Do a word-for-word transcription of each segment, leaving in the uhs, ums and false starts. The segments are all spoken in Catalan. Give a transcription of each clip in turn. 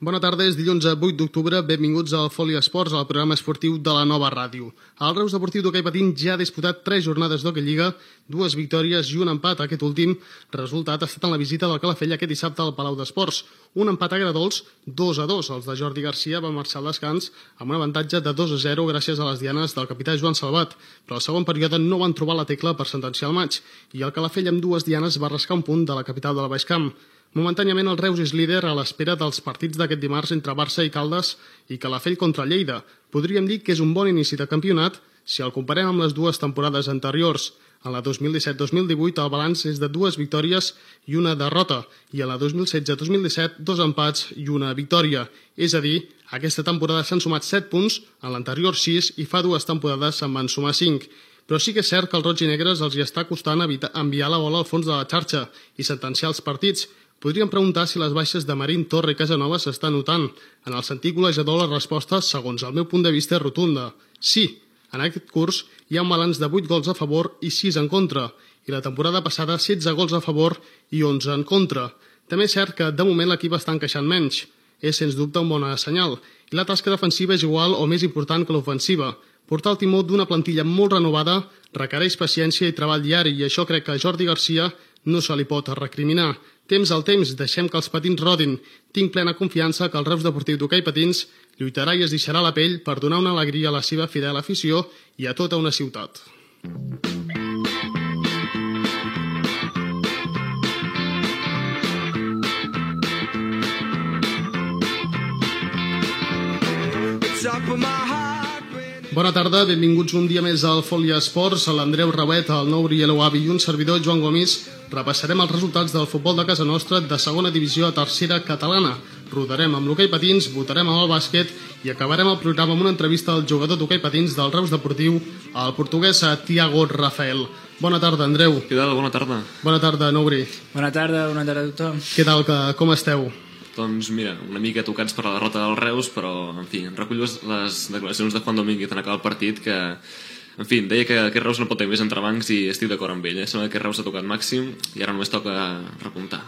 Bona tarda, és dilluns vuit d'octubre, benvinguts al Foli Esports, al programa esportiu de la nova ràdio. El Reus Deportiu d'Hoquei Patins ja ha disputat tres jornades d'Hoquei Lliga, dues victòries i un empat. Aquest últim resultat ha estat en la visita del Calafell aquest dissabte al Palau d'Esports. Un empat a Gradols, dos a dos. Els de Jordi Garcia van marxar al descans amb un avantatge de dos a zero gràcies a les dianes del capità Joan Salvat, però al segon període no van trobar la tecla per sentenciar el maig i el Calafell amb dues dianes va rascar un punt de la capital de la Baix Camp. Momentàniament el Reus és líder a l'espera dels partits d'aquest dimarts entre Barça i Caldes i Calafell contra Lleida. Podríem dir que és un bon inici de campionat si el comparem amb les dues temporades anteriors. En la dos mil disset dos mil divuit el balanç és de dues victòries i una derrota i en la dos mil setze dos mil disset dos empats i una victòria. És a dir, aquesta temporada s'han sumat set punts, en l'anterior sis i fa dues temporades se'n van sumar cinc. Però sí que és cert que als roig i negres els hi està costant enviar la bola al fons de la xarxa i sentenciar els partits. Podríem preguntar si les baixes de Marín, Torre i Casanova s'estan notant. En el sentit golejador, la resposta, segons el meu punt de vista, és rotunda. Sí, en aquest curs hi ha un balanç de vuit gols a favor i sis en contra, i la temporada passada setze gols a favor i onze en contra. També és cert que, de moment, l'equip està encaixant menys. És, sens dubte, un bon senyal. I la tasca defensiva és igual o més important que l'ofensiva. Portar el timó d'una plantilla molt renovada requereix paciència i treball diari, i això crec que a Jordi Garcia no se li pot recriminar. Temps al temps, deixem que els patins rodin. Tinc plena confiança que el Reus Deportiu d'Hoquei Patins lluitarà i es deixarà la pell per donar una alegria a la seva fidel afició i a tota una ciutat. Bona tarda, benvinguts un dia més al Foli Esports. L'Andreu Rauet, el Nouri Elouavi i un servidor, Joan Gomis, repassarem els resultats del futbol de casa nostra de segona divisió a tercera catalana. Rodarem amb l'hoquei patins, votarem amb el bàsquet i acabarem el programa amb una entrevista al jugador d'hoquei patins del Reus Deportiu, el portuguès Tiago Rafael. Bona tarda, Andreu. Què tal? Bona tarda. Bona tarda, Nouri. Bona tarda, bona tarda a tothom. Què tal, com esteu? Doncs mira, una mica tocats per la derrota del Reus, però, en fi, recullo les declaracions de Juan Domínguez en acabar el partit, que, en fi, deia que aquest Reus no pot tenir més entrebancs i estic d'acord amb ell. Eh? Sembla que aquest Reus ha tocat màxim i ara només toca repuntar.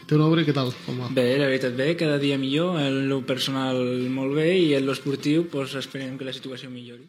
Tu, Nouri, què tal? Com va? Bé, la veritat bé, cada dia millor, en lo personal molt bé i en lo esportiu pues, esperem que la situació millori.